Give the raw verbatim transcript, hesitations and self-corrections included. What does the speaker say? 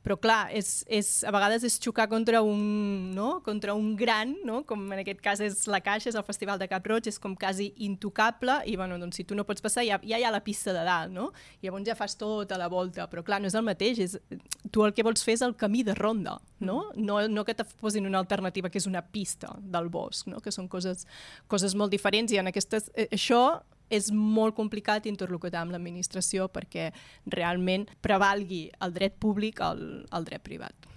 Però clar, és, és, a vegades és xocar contra un, no? contra un gran, no? Com en aquest cas és la Caixa, és el Festival de Cap-roig, és com quasi intocable i bueno, doncs, si tu no pots passar ja, ja hi ha la pista de dalt, no? I llavors ja fas tota la volta, però clar, no és el mateix, és, tu el que vols fer és el camí de ronda, no? No, no que te posin una alternativa que és una pista del bosc, no? Que són coses, coses molt diferents i en aquestes, això és molt complicat interlocutar amb l'administració perquè realment prevalgui el dret públic al, al dret privat.